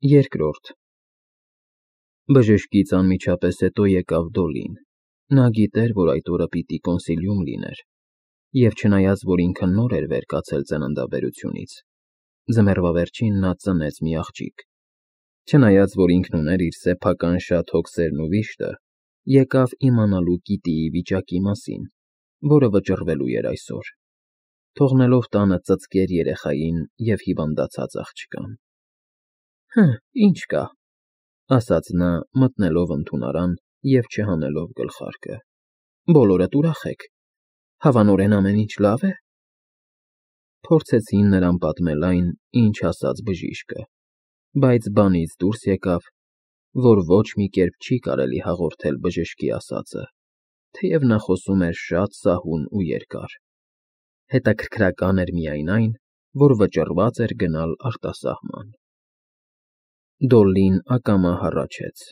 Երկրորդ Բժշկից անմիջապես հետո եկավ Դոլին։ Նա գիտեր, որ այդ օրը պիտի կոնսիլիում լիներ, և չնայած, որ ինքը նոր էր վեր կացել ծննդաբերությունից, ձմեռվա վերջին նա ծնեց մի աղջիկ։ Չնայած, որ ինքն ուներ իր սեփական շատ հոգսերն ու վիշտը, եկավ իմանալու Կիտիի վիճակի մասին, որը վճռվելու էր այսօր, թողնելով տանը ծծկեր երեխային և հիվանդացած աղջկան։ Ինչ կա, ասաց նա, մտնելով ընդունարան և չհանելով գլխարկը։ Բոլորդ ուրախ եք, հավանորեն ամեն ինչ լավ է։ Փորձեցին նրան պատմել այն, ինչ ասաց բժիշկը, բայց բանից դուրս եկավ, որ ոչ մի կերպ չի կարելի հաղորդել բժշկի ասածը, թեև նա խոսում էր շատ սահուն ու երկար։ Հետաքրքրական էր միայն այն, որ վճռված էր գնալ արտասահման։ Դոլլին ակամա հառաչեց։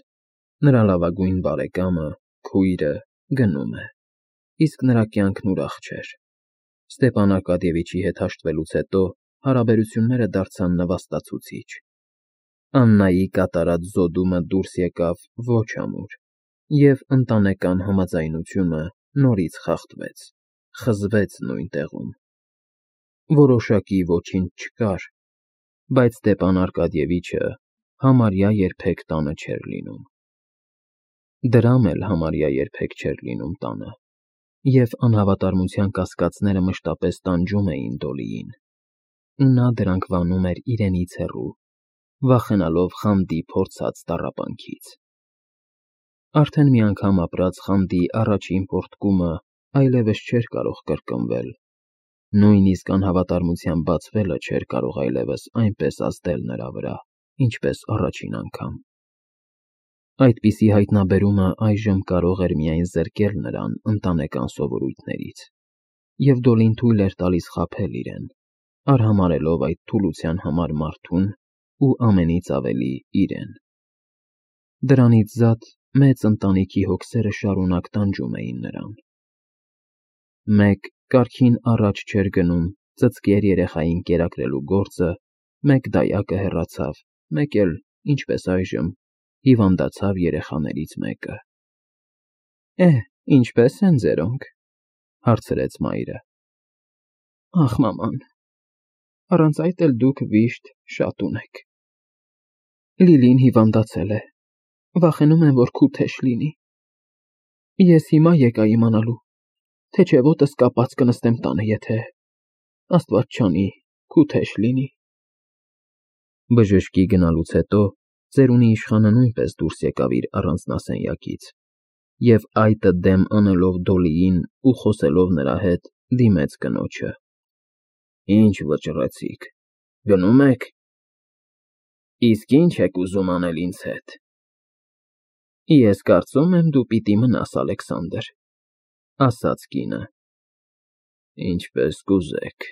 Նրա լավագույն բարեկամը, քույրը, գնում է, իսկ նրա կյանքն ուրախ չէր։ Ստեպան Արկադիևիչի հետ հաշտվելուց հետո հարաբերությունները դարձան նվաստացուցիչ։ Աննայի կատարած զոդումը դուրս եկավ ոչ ամուր, և ընտանեկան համաձայնությունը նորից խախտվեց, խզվեց նույն տեղում։ Որոշակի ոչինչ չկար, բայց Ստեպան Արկադիևիչը համարյա երբեք տանը չէր լինում։ Դրամ էլ համարյա երբեք չէր լինում տանը, և անհավատարմության կասկածները մշտապես տանջում էին Դոլիին, ու նա դրանք վանում էր իրենից հեռու, վախենալով Խանդի փորձած տառապանքից։ Արդեն մի անգամ ապրած Խանդի առաջին պոռթկումը այլևս չէր կարող կրկնվել, նույնիսկ անհավատարմության բացվելը չէր կարող այլևս այնպես ազդել նրա վրա, ինչպես առաջին անգամ։ Այդպիսի հայտնաբերումը այժմ կարող էր միայն զրկել նրան ընտանեկան սովորույթներից, և Դոլին թույլ էր տալիս խաբել իրեն, արհամարհելով այդ թուլության համար մարդուն ու ամենից ավելի իրեն։ Դրանից զատ մեծ ընտանիքի հոգսերը շարունակ տանջում էին նրան։ Մեկ կարգին առաջ չէր գնում ծծկեր երեխային կերակրելու գործը, մեկ դայակը հեռացավ, մեկ էլ, ինչպես այժմ, հիվանդացավ երեխաներից մեկը։ Ինչպե՞ս են ձերոնք, հարցրեց մայրը։ Ախ, մաման, առանց այդ էլ դուք վիշտ շատ ունեք։ Լիլին հիվանդացել է, վախենում եմ, որ քութեշ լինի։ Ես հիմա եկա իմանալու, թե չէ ոտս կապած կնստեմ տանը, եթե, Աստված չանի, քութեշ լինի։ Բժշկի գնալուց հետո ծերունի իշխանը նույնպես դուրս եկավ իր առանձնասենյակից, և այտը դեմ անելով Դոլիին ու խոսելով նրա հետ, դիմեց կնոջը։ Ինչ վճռեցիք, գնո՞ւմ եք։ Իսկ ինչ եք ուզում անել ինձ հետ։ Ես կարծում եմ, դու պիտի մնաս, Ալեքսանդր, ասաց կինը։ Ինչպես կուզեք։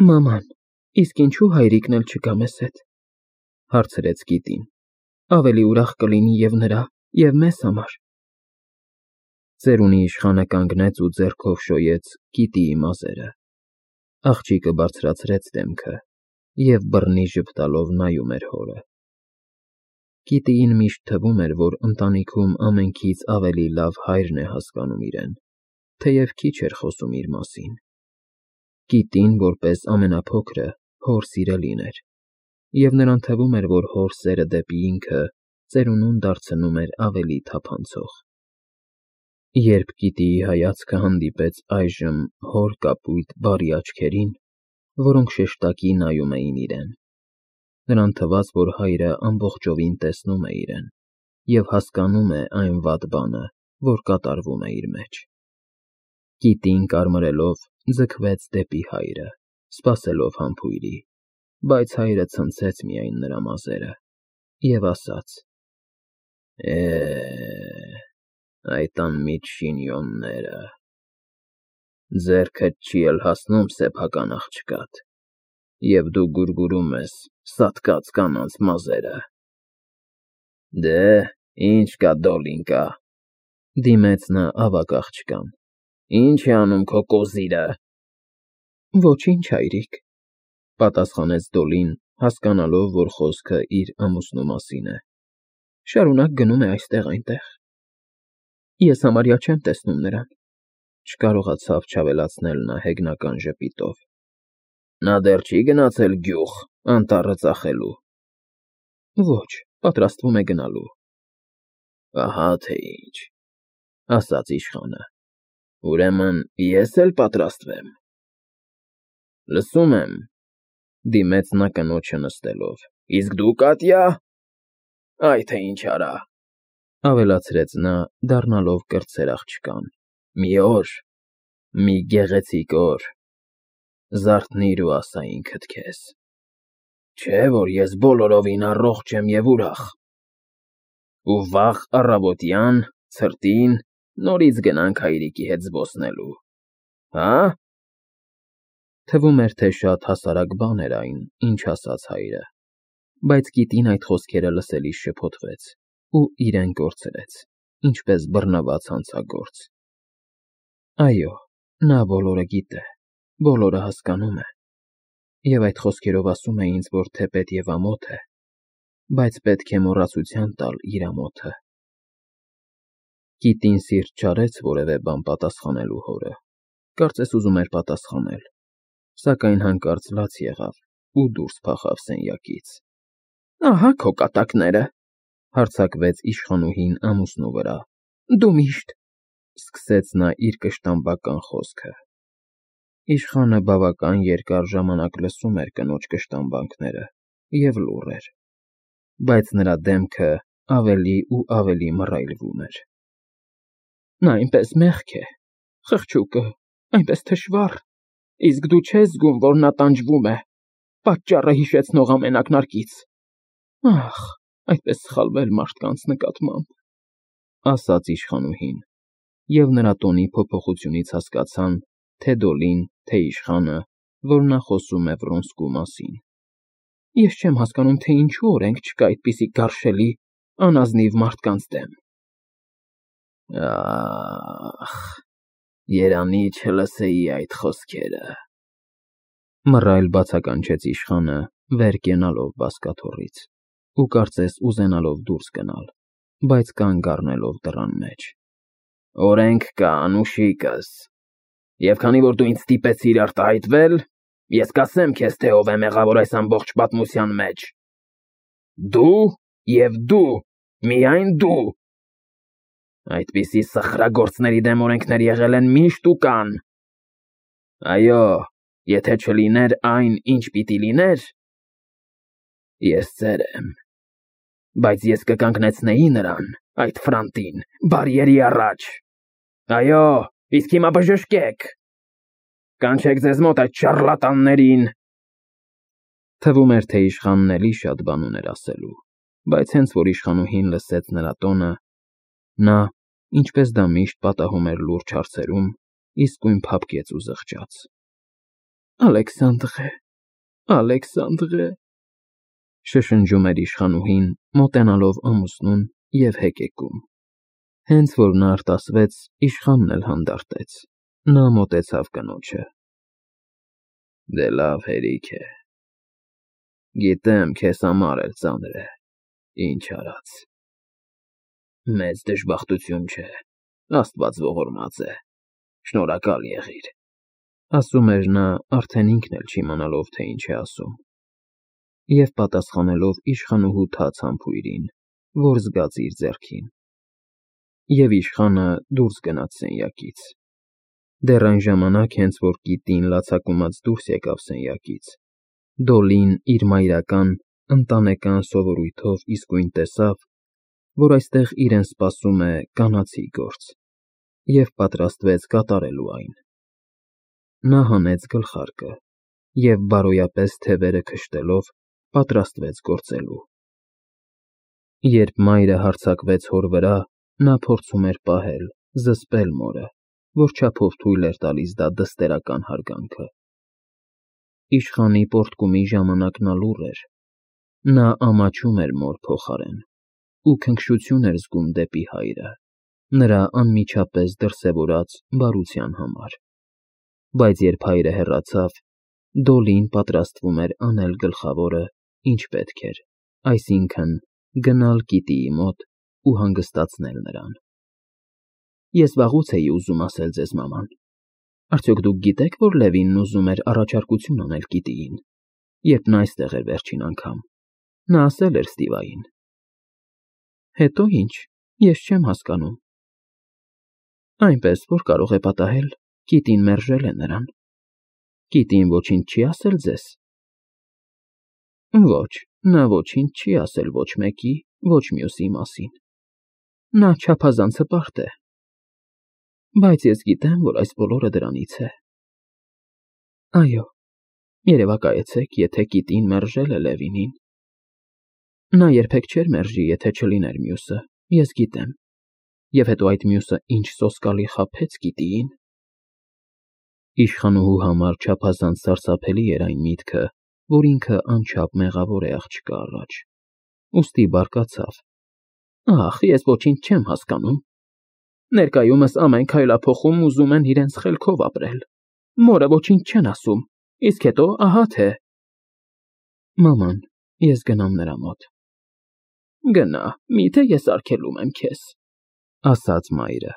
Մաման, իսկ ինչու հայրիկն էլ չգա մեզ հետ, հարցրեց Կիտին։ Ավելի ուրախ կլինի և նրա, և մեզ համար։ Ծերունի իշխանը կանգնեց ու ձեռքով շոյեց Կիտիի մազերը։ Աղջիկը բարձրացրեց դեմքը և բռնի ժպտալով նայում էր հորը։ Կիտիին միշտ թվում էր, որ ընտանիքում ամենքից ավելի լավ հայրն է հասկանում իրեն, թեև քիչ էր խոսում իր մասին։ Կիտին, որպես ամենափոքրը, հոր սիրելին էր, և նրան թվում էր, որ հոր սերը դեպի ինքը ծերունուն դարձնում էր ավելի թափանցող։ Երբ Կիտիի հայացքը հանդիպեց այժմ հոր կապույտ բարի աչքերին, որոնք շեշտակի նայում էին իրեն, նրան թվաց, որ հայրը ամբողջովին տեսնում է իրեն և հասկանում է այն վատ բանը, որ կատարվում է իր մեջ։ Կիտին կարմրելով ձգվեց դեպի հայրը, սպասելով համբույրի, բայց հայրը ցնցեց միայն նրա մազերը և ասաց. Այդ անմիջ շինյոնները, ձեռքդ չի էլ հասնում սեփական աղջկադ, և դու գուրգուրում ես սատկած կանանց մազերը։ Դե, ինչ կա, Դոլինկա, դիմեց նա ավագ աղջկան, ինչ է անում քո կոզիրը։ Ոչինչ, հայրիկ, պատասխանեց Դոլին, հասկանալով, որ խոսքը իր ամուսնու մասին է։ Շարունակ գնում է այստեղ-այնտեղ։ Ես համարյա չեմ տեսնում նրան, չկարողացավ չավելացնել նա հեգնական ժպիտով։ Նա դեռ չի գնացել գյուղ, անտառը ծախելու։ Ոչ, պատրաստվում է գնալու։ Ահա թե ինչ, ասաց իշխանը։ Ուրեմն ես էլ պատրաստվեմ։ Լսում եմ, դիմեց նա կնոջը նստելով։ Իսկ դու, Կատյա, այ թե ինչ արա, ավելացրեց նա, դառնալով կրտսեր աղջկան։ Մի օր, մի գեղեցիկ օր, զարթնիր ու ասա ինքդ քեզ, չէ՞ որ ես բոլորովին առողջ եմ և ուրախ։ Ու վաղ առավոտյան, ցրտին, նորից գնանք հայրիկի հետ զբոսնելու, հա՞։ Թվում էր, թե շատ հասարակ բան էր այն, ինչ ասաց հայրը, բայց գիտին այդ խոսքերը լսելիս շփոթվեց ու իրեն կորցրեց, ինչպես բռնված հանցագործ։ Այո, նա բոլորը գիտե, բոլորը հասկանում է, և այդ խոսքերով ասում է ինձ, որ թեպետ և ամոթ է, բայց պետք է մոռացության տալ իր ամոթը։ Կիտին սիրտ չարեց որևէ բան պատասխանելու հորը, կարծես ուզում էր պատասխանել, սակայն հանկարծ լաց եղավ ու դուրս փախավ սենյակից։ Ահա քո կատակները, հարձակվեց իշխանուհին ամուսնու վրա։ Դու միշտ, սկսեց նա իր կշտամբական խոսքը։ Իշխանը բավական երկար ժամանակ լսում էր կնոջ կշտամբանքները և լուռ էր, բայց նրա դեմքը ավելի ու ավելի մռայլվում էր։ Նա այնպես մեղք է, խղճուկը, այնպես թշվառ, իսկ դու չես զգում, որ նա տանջվում է, պատճառը հիշեցնող ամեն ակնարկից։ Ախ, այդպես սխալվել մարդկանց նկատմամբ, ասաց իշխանուհին, և նրա տոնի փոփոխությունից հասկացան, թե Դոլին, թե իշխանը, որ նա խոսում է Վրոնսկու մասին։ Ես չեմ հասկանում, թե ինչու օրենք չկա այդպիսի գարշելի, անազնիվ մարդկանց դեմ։ Ախ, երանի չլսեի այդ խոսքերը, մռայլ բացականչեց իշխանը, վեր կենալով բազկաթոռից ու կարծես ուզենալով դուրս գնալ, բայց կանգ առնելով դռան մեջ։ Օրենք կա, անուշիկս, և քանի որ դու ինձ ստիպեցիր արտահայտվել, ես կասեմ քեզ, թե ով է մեղավոր այս ամբողջ պատմության մեջ։ Դու և դու, միայն դու։ Այդպիսի սխրագործների դեմ օրենքներ եղել են միշտ ու կան։ Այո, եթե չլիներ այն, ինչ պիտի լիներ, ես ծեր եմ, բայց ես կկանգնեցնեի նրան, այդ Ֆրանտին, բարիերի առաջ։ Այո, իսկ հիմա բժշկեք, կանչեք ձեզ մոտ այդ շառլատաններին։ Թվում էր, թե իշխանն էլի շատ բան ուներ ասելու, բայց հենց որ իշխանուհին լսեց նրա տոնը, նա, ինչպես դա միշտ պատահում էր լուրջ հարցերում, իսկույն փափկեց ու զղջաց։ Ալեքսանդրե, Ալեքսանդրե, շշնջում էր իշխանուհին, մոտենալով ամուսնուն և հեկեկում։ Հենց որ նա արտասվեց, իշխանն էլ հանդարտեց, նա մոտեցավ կնոջը։ Դե լավ հերիք է, գիտեմ, քեզ համար էլ ծանր է, ինչ արած։ Մեծ դժբախտություն չէ, Աստված ողորմած է, շնորհակալ եղիր, ասում էր նա, արդեն ինքն էլ չիմանալով, թե ինչ է ասում, և պատասխանելով իշխանուհու թաց համբույրին, որ զգաց իր ձեռքին։ Եվ իշխանը դուրս գնաց սենյակից։ Դեռ այն ժամանակ, հենց որ կիտին լացակումած դուրս եկավ սենյակից, Դոլին իր մայրական, ընտանեկան սովորույթով իսկույն տեսավ, որ այստեղ իրեն սպասում է կանացի գործ, և պատրաստվեց կատարելու այն։ Նա հանեց գլխարկը և բարոյապես թևերը քշտելով պատրաստվեց գործելու։ Երբ մայրը հարձակվեց հոր վրա, նա փորձում էր պահել, զսպել մորը, որչափով թույլ էր տալիս դա դստերական հարգանքը։ Իշխանի պոռթկումի ժամանակ նա լուռ էր, նա ամաչում էր մոր փոխարեն ու քնքշություն էր զգում դեպի հայրը, նրա անմիջապես դրսևորած բարության համար։ Բայց երբ հայրը հեռացավ, Դոլին պատրաստվում էր անել գլխավորը ինչ պետք էր, այսինքն՝ գնալ Կիտիի մոտ ու հանգստացնել նրան։ Ես վաղուց էի ուզում ասել ձեզ, մաման, արդյոք դուք գիտեք, որ Լևինն ուզում էր առաջարկություն անել Կիտիին, երբ նա այստեղ էր վերջին անգամ։ Նա ասել էր Ստիվային։ Հետո ինչ, ես չեմ հասկանում։ Այնպես, որ կարող է պատահել, Կիտին մերժել է նրան։ Կիտին ոչինչ չի ասել ձեզ։ Ոչ, նա ոչինչ չի ասել ոչ մեկի, ոչ մյուսի մասին։ Նա չափազանց հպարտ է։ Բայց ես գիտեմ, որ այս բոլորը դրանից է։ Այո, երևակայեցեք, եթե Կիտին մերժել է Լևինին։ Նա երբեք չէր մերժի, եթե չլիներ մյուսը, ես գիտեմ։ Եվ հետո այդ մյուսը ինչ սոսկալի խաբեց Կիտիին։ Իշխանուհու համար չափազանց սարսափելի էր այն միտքը, որ ինքը անչափ մեղավոր է աղջկա առաջ։ Ուստի բարկացավ. Ախ, ես ոչինչ չեմ հասկանում։ Ներկայումս ամեն քայլափոխում ուզում են իրենց խելքով ապրել։ Մորը ոչինչ չեն ասում, իսկ հետո ահա թե։ Մաման, ես գնամ նրա մոտ։ Գնա, միթե ես արգելում եմ քեզ, ասաց մայրը։